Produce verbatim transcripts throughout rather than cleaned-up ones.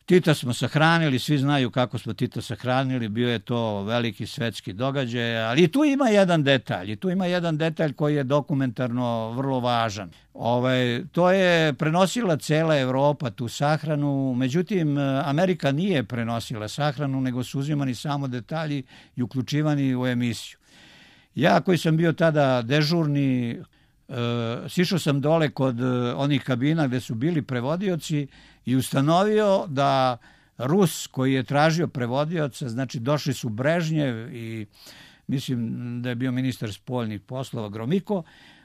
Tita smo sahranili, svi znaju kako smo Tita sahranili, bio je to veliki svetski događaj, ali tu ima jedan detalj, i tu ima jedan detalj koji je dokumentarno vrlo važan. Ovaj, to je prenosila cela Evropa tu sahranu, međutim Amerika nije prenosila sahranu, nego su uzimani samo detalji i uključivani u emisiju. Ja koji sam bio tada dežurni, e, sišao sam dole kod onih kabina gde su bili prevodioci i ustanovio da Rus koji je tražio prevodioca, znači došli su Brežnjev i mislim da je bio ministar spoljnih poslova Gromiko,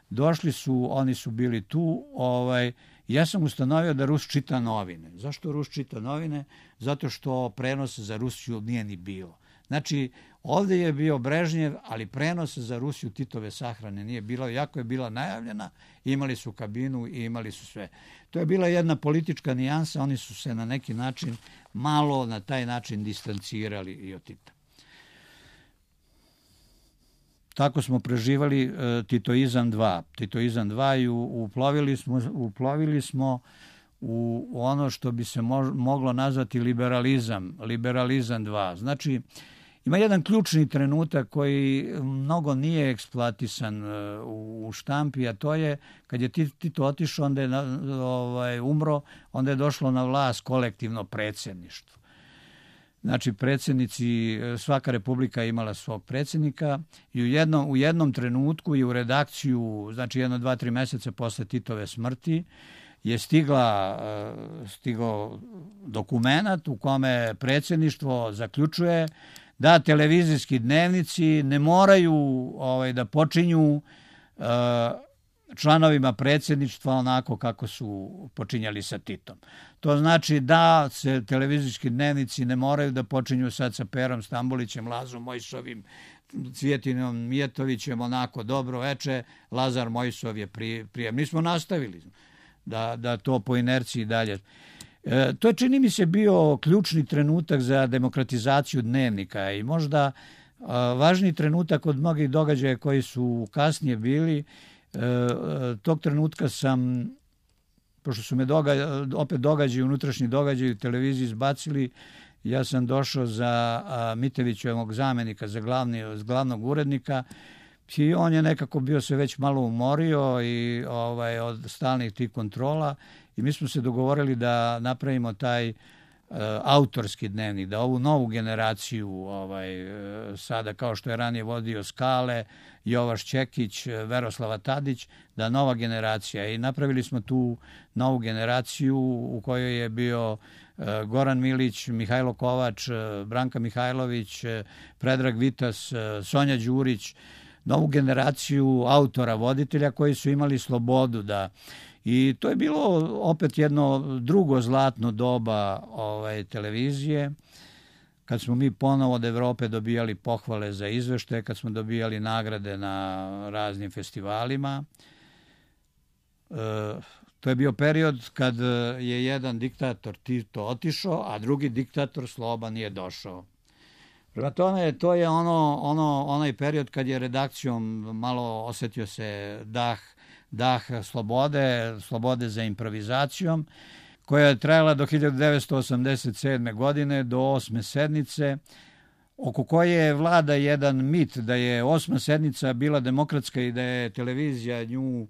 došli su, oni su bili tu, ovaj, ja sam ustanovio da Rus čita novine. Zašto Rus čita novine? Zato što prenos za Rusiju nije ni bilo. Znači, ovdje je bio Brežnjev, ali prenos za Rusiju Titove sahrane nije bilo, jako je bila najavljena, imali su kabinu i imali su sve. To je bila jedna politička nijansa, oni su se na neki način malo na taj način distancirali i od Tita. Tako smo preživali uh, Titoizam dva. Titoizam dva i uplovili smo, uplovili smo u ono što bi se mo- moglo nazvati liberalizam, liberalizam dva. Znači, ima jedan ključni trenutak koji mnogo nije eksploatisan u štampi, a to je kad je Tito otišao, onda je ovaj, umro, onda je došlo na vlast kolektivno predsjedništvo. Znači, predsjednici, svaka republika imala svog predsjednika i u jednom, u jednom trenutku i u redakciju, znači jedno, dva, tri meseca posle Titove smrti, je stigla, stigao dokumenat u kome predsjedništvo zaključuje da televizijski dnevnici ne moraju ovaj, da počinju uh, članovima predsjedništva onako kako su počinjali sa Titom. To znači da se televizijski dnevnici ne moraju da počinju sad sa Perom Stambolićem, Lazom Mojsovim, Cvjetinom Mijetovićem, onako dobro veče, Lazar Mojsov je prije. prije. Mi smo nastavili da, da to po inerciji dalje. E, to je, čini mi se, bio ključni trenutak za demokratizaciju dnevnika i možda a, važni trenutak od mnogih događaja koji su kasnije bili. E, tog trenutka sam, pošto su me događaj, opet događaji, unutrašnji događaji u televiziji izbacili, ja sam došao za a, Mitevićevog zamenika, za glavni, glavnog urednika, i on je nekako bio se već malo umorio i ovaj, od stalnih tih kontrola i mi smo se dogovorili da napravimo taj uh, autorski dnevnik, da ovu novu generaciju ovaj, uh, sada kao što je ranije vodio Skale, Jovaš Čekić, Veroslava Tadić, da nova generacija, i napravili smo tu novu generaciju u kojoj je bio uh, Goran Milić, Mihajlo Kovač, uh, Branka Mihajlović, uh, Predrag Vitas, uh, Sonja Đurić, novu generaciju autora, voditelja koji su imali slobodu da... I to je bilo opet jedno drugo zlatno doba ovaj, televizije, kad smo mi ponovo od Evrope dobijali pohvale za izveštaje, kad smo dobijali nagrade na raznim festivalima. E, to je bio period kad je jedan diktator Tito otišao, a drugi diktator Sloban je došao. Prema tome, to je ono, ono, onaj period kad je redakcijom malo osjetio se dah, dah slobode, slobode za improvizacijom, koja je trajala do hiljadu devetsto osamdeset sedme. godine, do osme sednice, oko koje vlada jedan mit da je osma sednica bila demokratska i da je televizija nju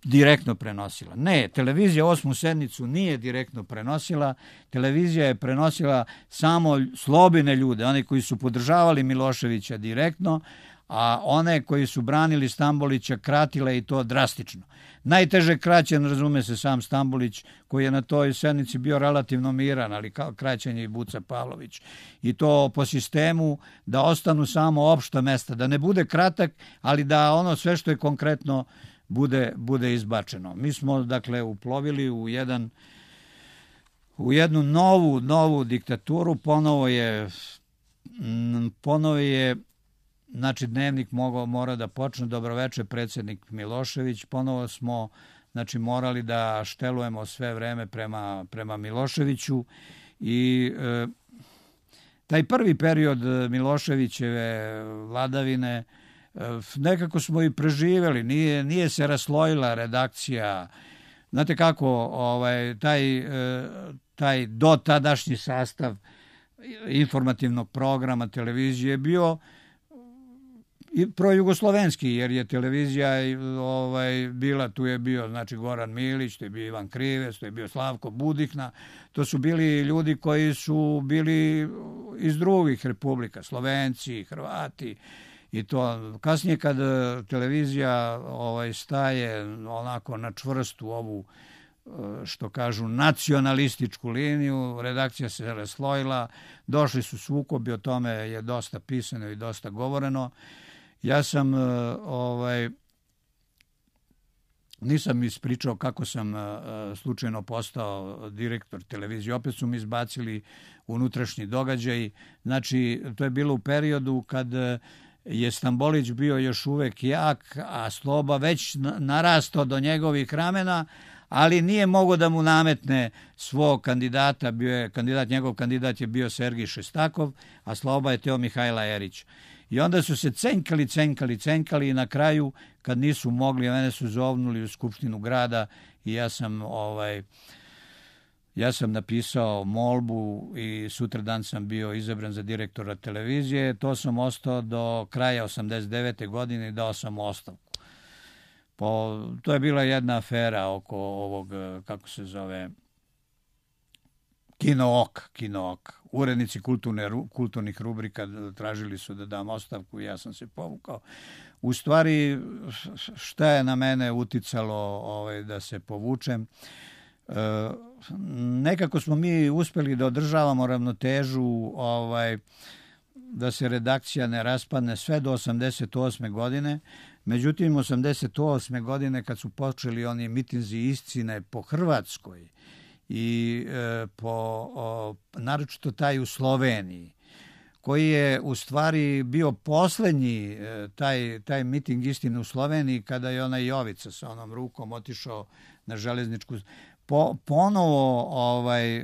direktno prenosila. Ne, televizija osmu sednicu nije direktno prenosila, televizija je prenosila samo slobine ljude, one koji su podržavali Miloševića direktno, a one koji su branili Stambolića kratile i to drastično. Najteže kraćen, razume se, sam Stambolić, koji je na toj sednici bio relativno miran, ali kraćen je i Buca Pavlović. I to po sistemu da ostanu samo opšta mesta, da ne bude kratak, ali da ono sve što je konkretno bude, bude izbačeno. Mi smo, dakle, uplovili u jedan u jednu novu, novu diktaturu, ponovo je ponovo je znači dnevnik mogao, mora da počne, dobroveče predsjednik Milošević, ponovo smo znači morali da štelujemo sve vreme prema, prema Miloševiću i e, taj prvi period Miloševićeve vladavine nekako smo i preživjeli, nije, nije se raslojila redakcija, znate kako, ovaj, taj, taj dotadašnji sastav informativnog programa televizije je bio i projugoslovenski, jer je televizija ovaj, bila, tu je bio znači Goran Milić, tu je bio Ivan Krivec, tu je bio Slavko Budihna, to su bili ljudi koji su bili iz drugih republika, Slovenci, Hrvati i to. Kasnije kad televizija ovaj, staje onako na čvrstu ovu, što kažu, nacionalističku liniju, redakcija se raslojila, došli su sukobi, o tome je dosta pisano i dosta govoreno. Ja sam, ovaj, nisam ispričao kako sam slučajno postao direktor televizije. Opet su mi izbacili unutrašnji događaj. Znači, to je bilo u periodu kad je Stambolić bio još uvek jak, a Sloba već narastao do njegovih ramena, ali nije mogao da mu nametne svog kandidata. Bio je kandidat, njegov kandidat je bio Sergij Šestakov, a Sloba je teo Mihajla Erić. I onda su se cenkali, cenkali, cenkali i na kraju, kad nisu mogli, mene su zovnuli u Skupštinu grada i ja sam, ovaj, ja sam napisao molbu i sutradan sam bio izabran za direktora televizije. To sam ostao do kraja osamdeset devete godine i dao sam ostavku. Po, to je bila jedna afera oko ovog, kako se zove, Kino Ok, Kino Ok. Urednici kulturne, kulturnih rubrika tražili su da dam ostavku i ja sam se povukao. U stvari, šta je na mene uticalo ovaj, da se povučem? E, nekako smo mi uspeli da održavamo ravnotežu, ovaj, da se redakcija ne raspadne sve do osamdeset osme godine. Međutim, osamdeset osme godine kad su počeli oni mitinzi iscine po Hrvatskoj, i e, po, o, naročito taj u Sloveniji, koji je u stvari bio poslednji e, taj, taj miting istine u Sloveniji, kada je ona Jovica sa onom rukom otišao na železničku po, ponovo ovaj, e,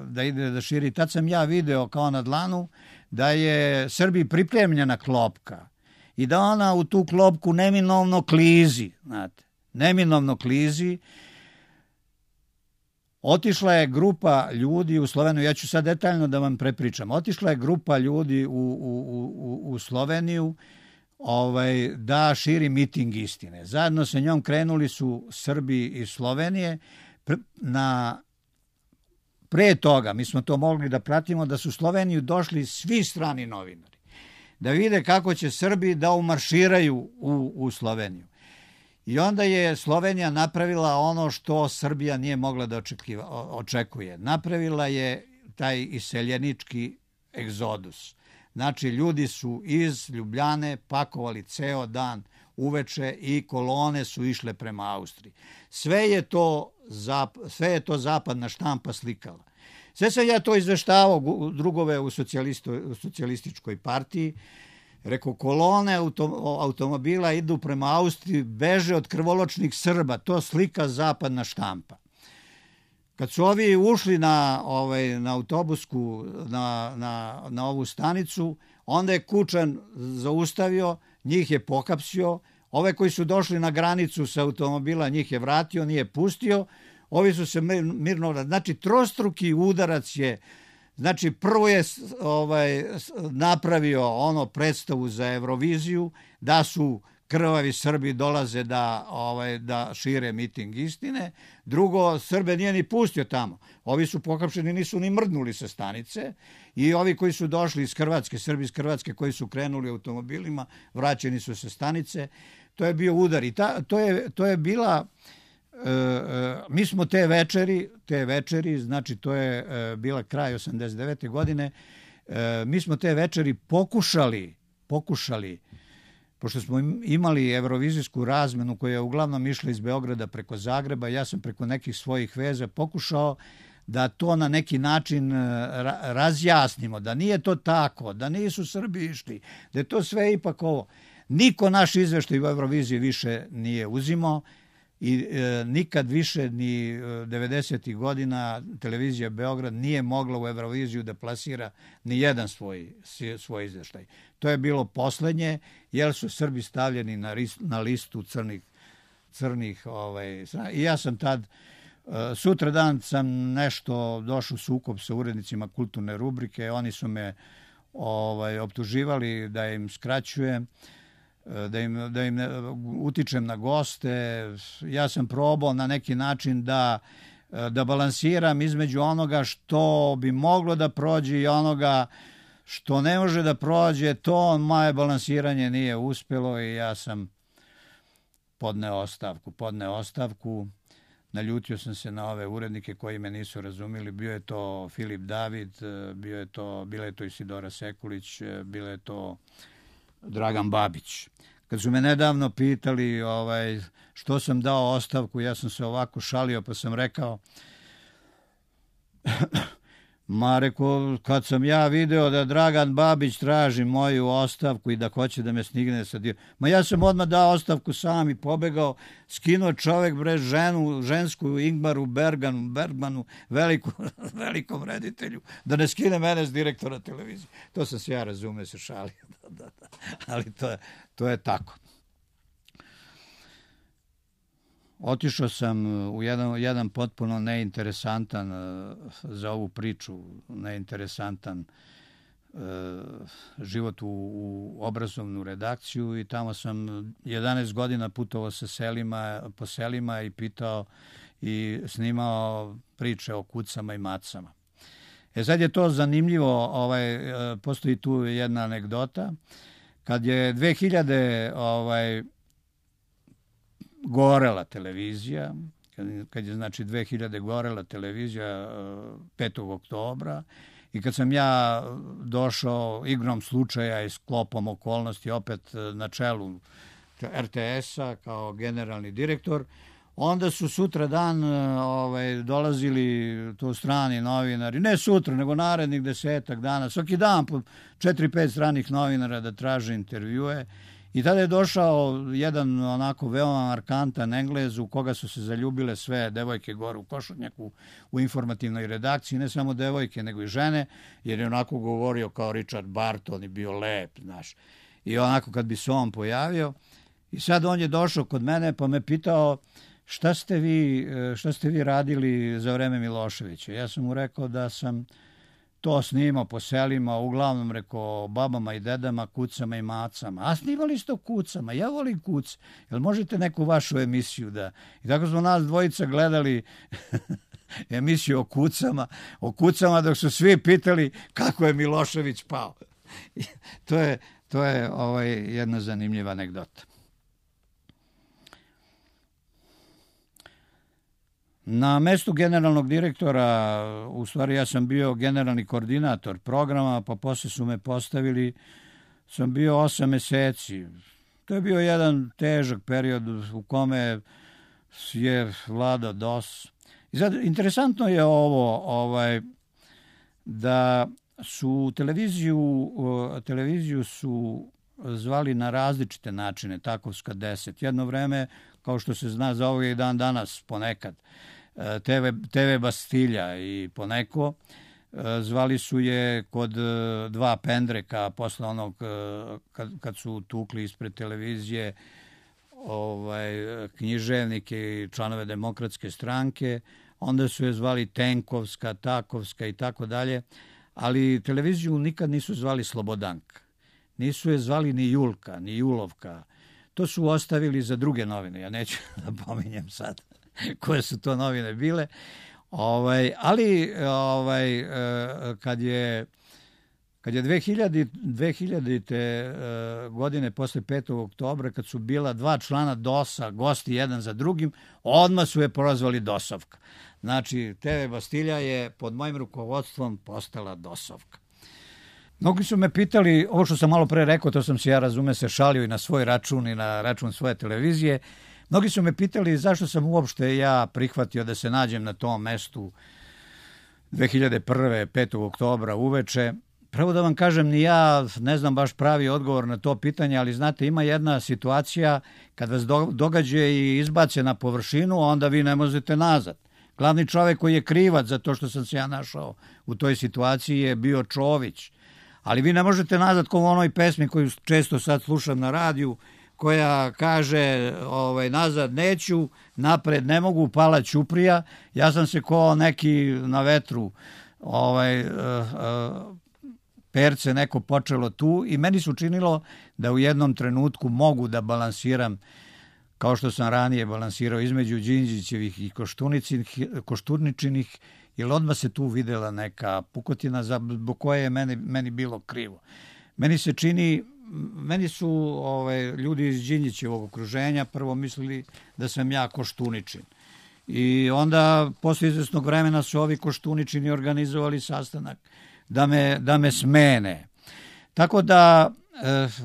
da ide da širi. Tad sam ja video kao na dlanu da je Srbiji pripremljena klopka i da ona u tu klopku neminovno klizi, znate, neminovno klizi. Otišla je grupa ljudi u Sloveniju, ja ću sad detaljno da vam prepričam, otišla je grupa ljudi u, u, u, u Sloveniju ovaj, da širi miting istine. Zajedno sa njom krenuli su Srbi iz Slovenije. Na, pre toga, mi smo to mogli da pratimo, da su u Sloveniju došli svi strani novinari, da vide kako će Srbi da umarširaju u, u Sloveniju. I onda je Slovenija napravila ono što Srbija nije mogla da očekiva, očekuje. Napravila je taj iseljenički egzodus. Znači, ljudi su iz Ljubljane pakovali ceo dan uveče i kolone su išle prema Austriji. Sve je to, zap, sve je to zapadna štampa slikala. Sve sam ja to izveštavao drugove u, u socijalističkoj partiji. Rekao, kolone auto, automobila idu prema Austriji, beže od krvoločnih Srba. To slika zapadna štampa. Kad su ovi ušli na, ovaj, na autobusku, na, na, na ovu stanicu, onda je Kučan zaustavio, njih je pohapsio. Ove koji su došli na granicu sa automobila, njih je vratio, nije pustio. Ovi su se mirno... Znači, trostruki udarac je... Znači, prvo je ovaj, napravio ono predstavu za Euroviziju, da su krvavi Srbi dolaze da, ovaj, da šire miting istine. Drugo, Srbe nije ni pustio tamo. Ovi su pohapšeni, nisu ni mrdnuli sa stanice. I ovi koji su došli iz Hrvatske, Srbi iz Hrvatske koji su krenuli automobilima, vraćeni su sa stanice. To je bio udar. I ta, to, je, to je bila... E, e, mi smo te večeri, te večeri, znači to je e, bila kraj osamdeset devete godine, e, mi smo te večeri pokušali, pokušali, pošto smo imali evrovizijsku razmenu koja je uglavnom išla iz Beograda preko Zagreba, ja sam preko nekih svojih veza pokušao da to na neki način ra, razjasnimo, da nije to tako, da nisu Srbi išli, da je to sve ipak ovo. Niko naš izveštaj u Euroviziji više nije uzimao, i e, nikad više ni devedesetih godina televizija Beograd nije mogla u Euroviziju da plasira ni jedan svoj, svoj izveštaj. To je bilo poslednje, jer su Srbi stavljeni na, ris, na listu crnih, crnih. Ovaj, I ja sam tad, sutra dan sam nešto došao u sukob sa urednicima kulturne rubrike, oni su me ovaj, optuživali da im skraćujem, da im, da im utičem na goste. Ja sam probao na neki način da, da balansiram između onoga što bi moglo da prođe i onoga što ne može da prođe. To moje balansiranje nije uspjelo i ja sam podneo ostavku. Podneo ostavku. Naljutio sam se na ove urednike koji me nisu razumili. Bio je to Filip David, bio je to, bila je to Isidora Sekulić, bila je to Dragan Babić. Kad su me nedavno pitali ovaj, što sam dao ostavku, ja sam se ovako šalio pa sam rekao, ma reko, kad sam ja video da Dragan Babić traži moju ostavku i da hoće da me stigne sa dio, ma ja sam odmah dao ostavku sam i pobegao, skinuo čovek bre ženu, žensku Ingmaru Berganu, Bergmanu, veliku, velikom reditelju, da ne skine mene s direktora televizije. To sam se ja razume, se šalio, da, da, da. Ali to je, to je tako. Otišao sam u jedan, jedan potpuno neinteresantan za ovu priču, neinteresantan e, život u, u obrazovnu redakciju i tamo sam jedanaest godina putovao sa selima, po selima i pitao i snimao priče o kucama i macama. E sad je to zanimljivo, ovaj, postoji tu jedna anegdota. Kad je dve hiljade ovaj, gorela televizija, kad, kad je znači dve hiljade gorela televizija petog oktobra i kad sam ja došao igrom slučaja i sklopom okolnosti opet na čelu er te esa kao generalni direktor, onda su sutra dan ovaj, dolazili tu strani novinari, ne sutra, nego narednih desetak dana, svaki dan po četiri, pet stranih novinara da traže intervjue. I tada je došao jedan onako veoma markantan Englez u koga su se zaljubile sve devojke gore u Košutnjaku u informativnoj redakciji, ne samo devojke nego i žene, jer je onako govorio kao Richard Barton i bio lep, znaš. I onako kad bi se on pojavio, i sad on je došao kod mene pa me pitao šta ste vi, šta ste vi radili za vreme Miloševića. Ja sam mu rekao da sam to snimao po selima, uglavnom rekao babama i dedama, kucama i macama. A snimali ste o kucama, ja volim kuce. Jel možete neku vašu emisiju da... I tako smo nas dvojica gledali emisiju o kucama, o kucama dok su svi pitali kako je Milošević pao. to je, to je ovaj, jedna zanimljiva anegdota. Na mestu generalnog direktora, u stvari ja sam bio generalni koordinator programa, pa posle su me postavili, sam bio osam meseci. To je bio jedan težak period u kome je vladao D O S. I sad, interesantno je ovo, ovaj, da su televiziju, televiziju su zvali na različite načine, Takovska deset. Jedno vreme, kao što se zna za ovog i dan danas ponekad, te ve, te ve Bastilja i poneko, zvali su je kod dva pendreka posle onog kad, kad su tukli ispred televizije ovaj, književnike i članove Demokratske stranke, onda su je zvali Tenkovska, Takovska i tako dalje, ali televiziju nikad nisu zvali Slobodanka. Nisu je zvali ni Julka, ni Julovka. To su ostavili za druge novine. Ja neću da pominjem sad koje su to novine bile. Ovaj, ali ovaj, kad je, kad je dve hiljadite godine posle petog oktobra, kad su bila dva člana D O S-a, gosti jedan za drugim, odmah su je prozvali DOS-ovka. Znači, te ve Bastilja je pod mojim rukovodstvom postala DOS-ovka. Mnogi su me pitali, ovo što sam malo pre rekao, to sam se ja razume se šalio i na svoj račun i na račun svoje televizije. Mnogi su me pitali zašto sam uopšte ja prihvatio da se nađem na tom mestu dve hiljade prve. petog oktobra uveče. Prvo da vam kažem, ni ja ne znam baš pravi odgovor na to pitanje, ali znate, ima jedna situacija kad vas događa i izbace na površinu, onda vi ne možete nazad. Glavni čovek koji je krivac za to što sam se ja našao u toj situaciji je bio Čović. Ali vi ne možete nazad kao u onoj pesmi koju često sad slušam na radiju, koja kaže ovaj, nazad neću, napred ne mogu, pala ćuprija. Ja sam se ko neki na vetru ovaj, uh, uh, perce neko počelo tu i meni se učinilo da u jednom trenutku mogu da balansiram kao što sam ranije balansirao između Đinđićevih i Koštuničinih, jer odmah se tu videla neka pukotina zbog koje je meni, meni bilo krivo. Meni se čini, meni su ovaj, ljudi iz Đinđićevog okruženja prvo mislili da sam ja Koštuničin. I onda posle izvesnog vremena su ovi Koštuničini organizovali sastanak da me, da me smene. Tako da e,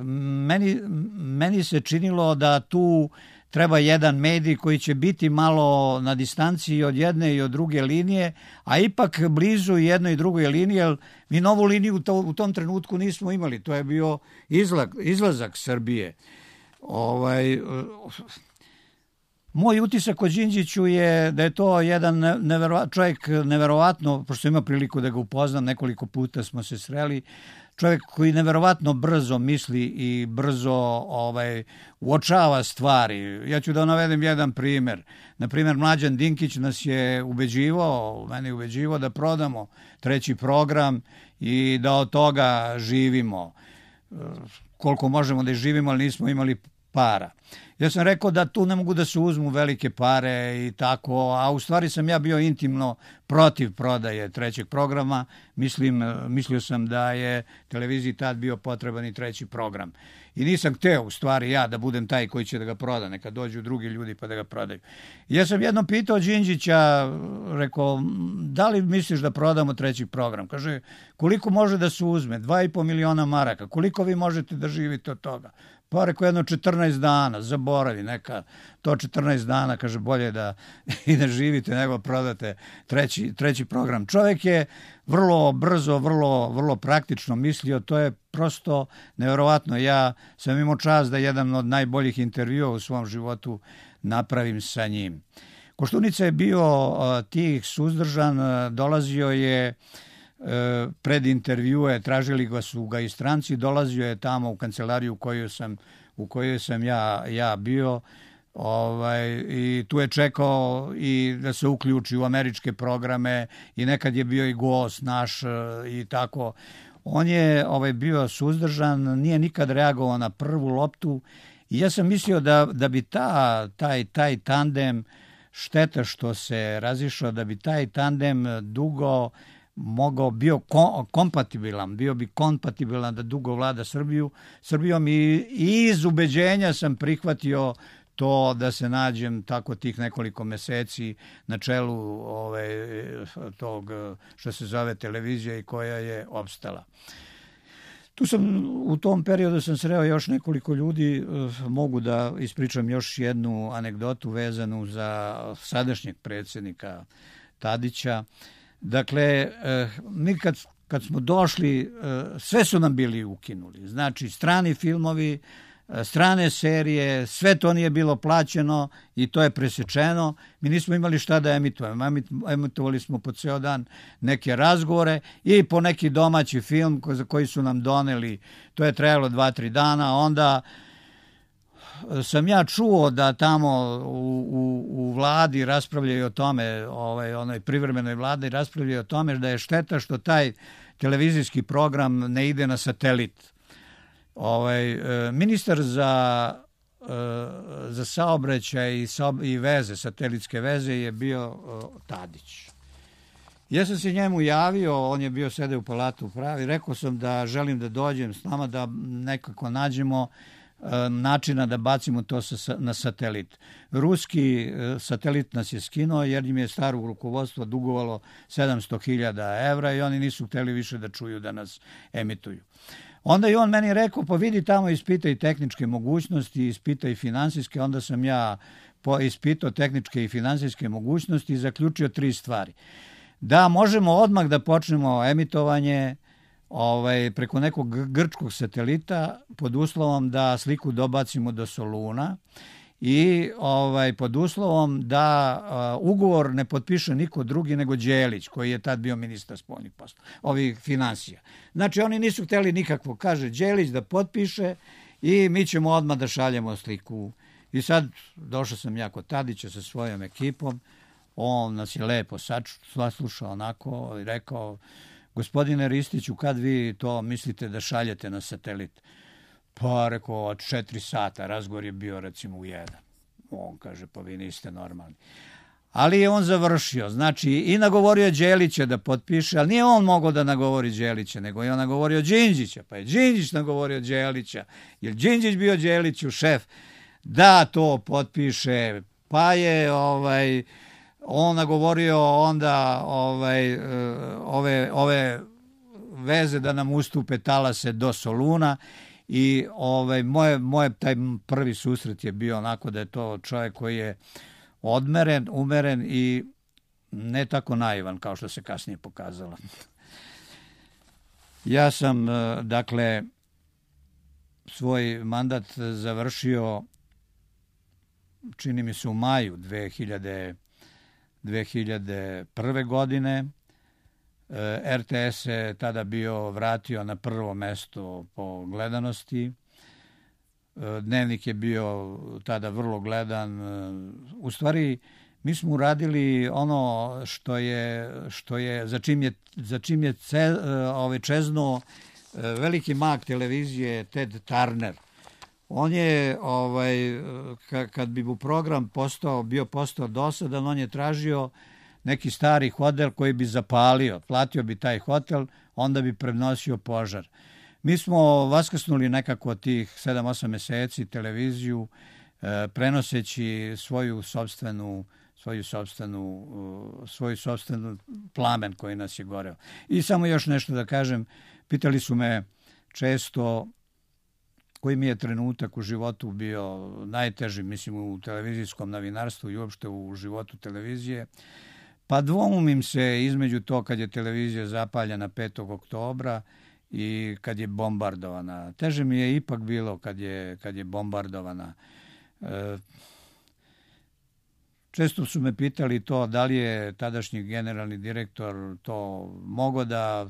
meni, meni se činilo da tu treba jedan medij koji će biti malo na distanciji od jedne i od druge linije, a ipak blizu jednoj i drugoj liniji, jer mi novu liniju u, to, u tom trenutku nismo imali. To je bio izlak, izlazak Srbije. Ovaj, moj utisak o Đinđiću je da je to jedan neverova, čovjek neverovatno, pošto ima priliku da ga upoznam, nekoliko puta smo se sreli, čovjek koji neverovatno brzo misli i brzo ovaj, uočava stvari. Ja ću da navedem jedan primjer. Na primjer, Mlađan Dinkić nas je ubeđivao, mene je ubeđivao da prodamo treći program i da od toga živimo. Koliko možemo da živimo, ali nismo imali para. Ja sam rekao da tu ne mogu da se uzmu velike pare i tako, a u stvari sam ja bio intimno protiv prodaje trećeg programa. Mislim, mislio sam da je televiziji tad bio potreban i treći program. I nisam hteo u stvari ja da budem taj koji će da ga proda, neka dođu drugi ljudi pa da ga prodaju. Ja sam jednom pitao Đinđića, rekao, da li misliš da prodamo treći program? Kaže, koliko može da se uzme? Dva i po miliona maraka. Koliko vi možete da živite od toga? Pa rekao jedno četrnaest dana, zaboravi neka, to četrnaest dana, kaže, bolje da i da živite nego prodate treći, treći program. Čovjek je vrlo brzo, vrlo, vrlo praktično mislio, to je prosto nevjerovatno. Ja sam imao čast da jedan od najboljih intervjua u svom životu napravim sa njim. Koštunica je bio tih suzdržan, dolazio je pred intervjue, tražili ga su ga i stranci, dolazio je tamo u kancelariju u kojoj sam, u kojoj sam ja, ja bio, ovaj, i tu je čekao i da se uključi u američke programe i nekad je bio i gost naš i tako. On je ovaj, bio suzdržan, nije nikad reagovao na prvu loptu i ja sam mislio da, da bi ta, taj, taj tandem, šteta što se razišao, da bi taj tandem dugo mogao, bio kompatibilan, bio bi kompatibilan da dugo vlada Srbiju, Srbijom i, i iz ubeđenja sam prihvatio to da se nađem tako tih nekoliko meseci na čelu ove, tog što se zove televizija i koja je opstala. Tu sam, u tom periodu sam sreo još nekoliko ljudi, mogu da ispričam još jednu anegdotu vezanu za sadašnjeg predsjednika Tadića. Dakle, mi kad, kad smo došli, sve su nam bili ukinuli. Znači, strani filmovi, strane serije, sve to nije bilo plaćeno i to je presečeno. Mi nismo imali šta da emitujemo. Emitovali smo po ceo dan neke razgovore i po neki domaći film za koji su nam doneli. To je trajalo dva, tri dana. Onda sam ja čuo da tamo u, u, u vladi raspravljaju o tome, ovaj, onoj privremenoj vladi raspravljaju o tome da je šteta što taj televizijski program ne ide na satelit. Ovaj, ministar za, za saobraćaj i, i veze, satelitske veze je bio Tadić. Ja sam se njemu javio, on je bio sede u Palatu pravi, rekao sam da želim da dođem s nama, da nekako nađemo načina da bacimo to na satelit. Ruski satelit nas je skinuo jer im je staro rukovodstvo dugovalo sedamsto hiljada evra i oni nisu hteli više da čuju da nas emituju. Onda je on meni rekao, pa vidi tamo ispitaj tehničke mogućnosti, ispitaj finansijske. Onda sam ja ispitao tehničke i finansijske mogućnosti i zaključio tri stvari. Da možemo odmah da počnemo emitovanje ovaj, preko nekog grčkog satelita pod uslovom da sliku dobacimo do Soluna i ovaj, pod uslovom da uh, ugovor ne potpiše niko drugi nego Đelić, koji je tad bio ministar spoljnih poslova, ovih finansija. Znači, oni nisu hteli nikakvo, kaže Đelić da potpiše i mi ćemo odmah da šaljemo sliku. I sad došao sam ja kod Tadića sa svojom ekipom, on nas je lepo saslušao onako i rekao, gospodine Ristiću, kad vi to mislite da šaljete na satelit? Pa rekao, od četiri sata, razgovor je bio recimo u jedan. On kaže, pa vi niste normalni. Ali je on završio, znači i nagovorio Đelića da potpiše, ali nije on mogao da nagovori Đelića, nego je on nagovorio Đinđića, pa je Đinđić nagovorio Đelića, jer Đinđić bio Đeliću šef, da to potpiše, pa je ovaj, on nagovorio onda ovaj, ove, ove veze da nam ustupe talase do Soluna i ovaj, moje, moje taj prvi susret je bio onako da je to čovjek koji je odmeren, umeren i ne tako naivan kao što se kasnije pokazalo. Ja sam, dakle, svoj mandat završio, čini mi se u maju dve hiljade prve. godine. er te es se tada bio vratio na prvo mesto po gledanosti. Dnevnik je bio tada vrlo gledan. U stvari, mi smo uradili ono što je, što je, za čim je, za čim je ce, ove, čeznuo veliki mag televizije Ted Turner. On je, ovaj, kad bi mu program postao, bio postao dosadan, on je tražio neki stari hotel koji bi zapalio. Platio bi taj hotel, onda bi prenosio požar. Mi smo vaskrsnuli nekako tih sedam osam meseci televiziju, prenoseći svoju sopstvenu, svoju sopstvenu, svoju sopstvenu plamen koji nas je goreo. I samo još nešto da kažem, pitali su me često koji mi je trenutak u životu bio najteži, mislim u televizijskom novinarstvu i uopšte u životu televizije. Pa dvoumim se između to kad je televizija zapaljena petog oktobra i kad je bombardovana. Teže mi je ipak bilo kad je, kad je bombardovana. E, često su me pitali to da li je tadašnji generalni direktor to mogao da,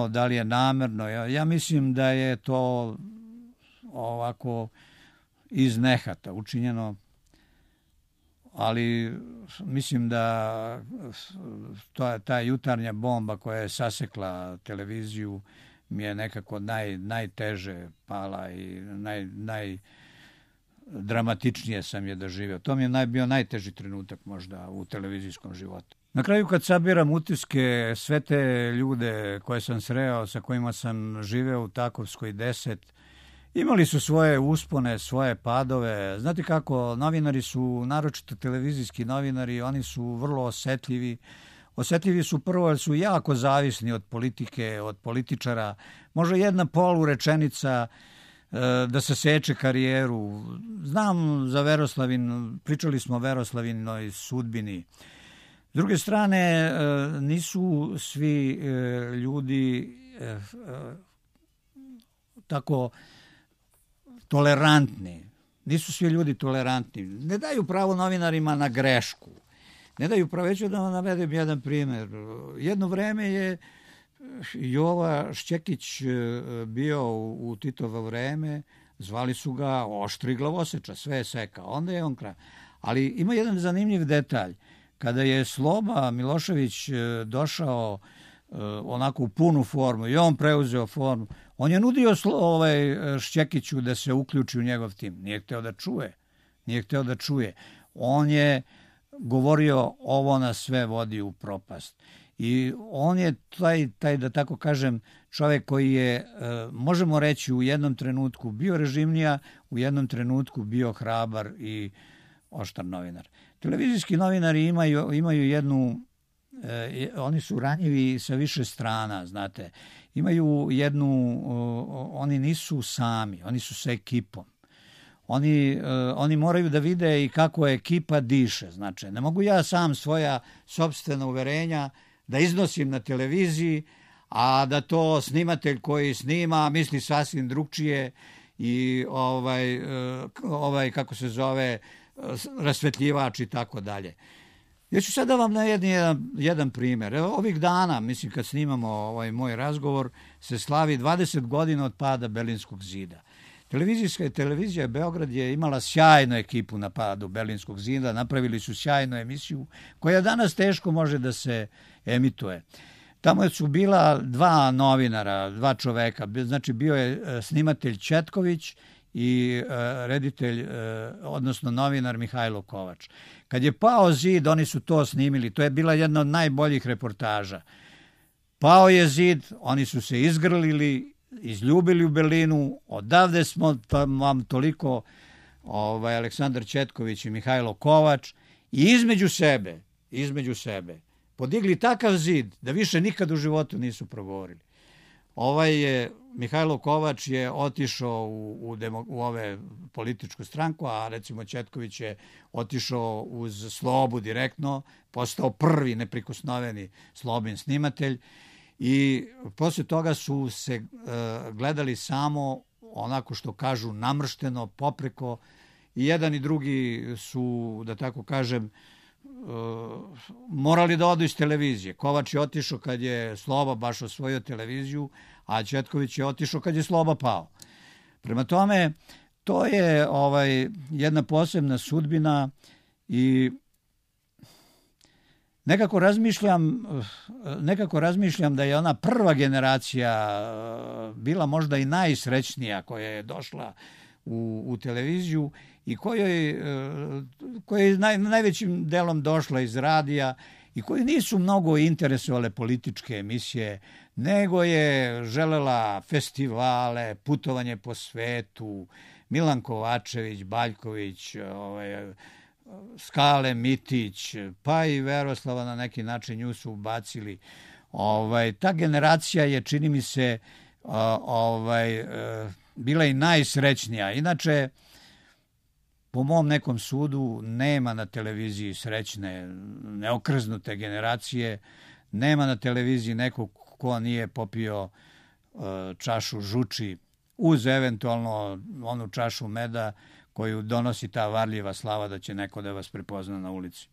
da li je namerno. Ja, ja mislim da je to ovako iz nehata učinjeno, ali mislim da to, ta jutarnja bomba koja je sasekla televiziju mi je nekako naj, najteže pala i naj, najdramatičnije sam je doživio. To mi je naj, bio najteži trenutak možda u televizijskom životu. Na kraju kad sabiram utiske, sve te ljude koje sam sreo, sa kojima sam živeo u Takovskoj deset, imali su svoje uspone, svoje padove. Znate kako, novinari su, naročito televizijski novinari, oni su vrlo osetljivi. Osetljivi su prvo jer su jako zavisni od politike, od političara. Može jedna polu rečenica da se seče karijeru. Znam za Veroslavin, pričali smo o Veroslavinoj sudbini. S druge strane, nisu svi ljudi tako tolerantni. Nisu svi ljudi tolerantni. Ne daju pravo novinarima na grešku. Ne daju pravo. Već da vam navedem jedan primjer. Jedno vreme je Jova Šćekić bio u Titovo vreme, zvali su ga oštri glavoseča, sve je sekao. Onda je on kraj. Ali ima jedan zanimljiv detalj. Kada je Sloba Milošević došao onako u punu formu i on preuzeo formu, on je nudio ovaj Šćekiću da se uključi u njegov tim. Nije hteo da čuje. Nije hteo da čuje. On je govorio ovo nas sve vodi u propast. I on je taj, taj da tako kažem, čovjek koji je, možemo reći, u jednom trenutku bio režimnija, u jednom trenutku bio hrabar i oštar novinar. Televizijski novinari imaju, imaju jednu, eh, oni su ranjivi sa više strana, znate. Imaju jednu, uh, oni nisu sami, oni su sa ekipom. Oni, uh, oni moraju da vide i kako ekipa diše. Znači, ne mogu ja sam svoja sopstvena uverenja da iznosim na televiziji, a da to snimatelj koji snima misli sasvim drugčije i ovaj, uh, ovaj kako se zove, rasvetljivač i tako dalje. Ja ću sada vam na jedan, jedan primjer. Evo, ovih dana, mislim, kad snimamo ovaj moj razgovor, se slavi dvadeset godina od pada Berlinskog zida. Televizijska televizija Beograd je imala sjajnu ekipu na padu Berlinskog zida, napravili su sjajnu emisiju koja danas teško može da se emituje. Tamo su bila dva novinara, dva čoveka, znači bio je snimatelj Četković i reditelj, odnosno novinar Mihajlo Kovač. Kad je pao zid, oni su to snimili, to je bila jedna od najboljih reportaža. Pao je zid, oni su se izgrlili, izljubili u Berlinu, odavde smo vam toliko ovaj, Aleksandar Četković i Mihajlo Kovač i između sebe, između sebe, podigli takav zid da više nikad u životu nisu progovorili. Ovaj je, Mihajlo Kovač je otišao u, u, demo, u ove političku stranku, a recimo Četković je otišao uz Slobu direktno, postao prvi neprikosnoveni Slobin snimatelj i posle toga su se e, gledali samo onako što kažu namršteno, popreko i jedan i drugi su, da tako kažem, morali da odu iz televizije. Kovač je otišao kad je Sloba baš osvojio televiziju, a Četković je otišao kad je Sloba pao. Prema tome, to je ovaj jedna posebna sudbina i nekako razmišljam, nekako razmišljam da je ona prva generacija bila možda i najsrećnija koja je došla u, u televiziju i kojoj, koja je naj, najvećim delom došla iz radija i koji nisu mnogo interesovale političke emisije, nego je želela festivale, putovanje po svetu, Milan Kovačević, Baljković, ovaj, Skale Mitić, pa i Veroslava na neki način nju su ubacili. Ovaj, ta generacija je, čini mi se, ovaj, bila i najsrećnija. Inače, po mom nekom sudu, nema na televiziji srećne, neokrznute generacije, nema na televiziji nekog ko nije popio čašu žuči uz eventualno onu čašu meda koju donosi ta varljiva slava da će neko da vas prepozna na ulici.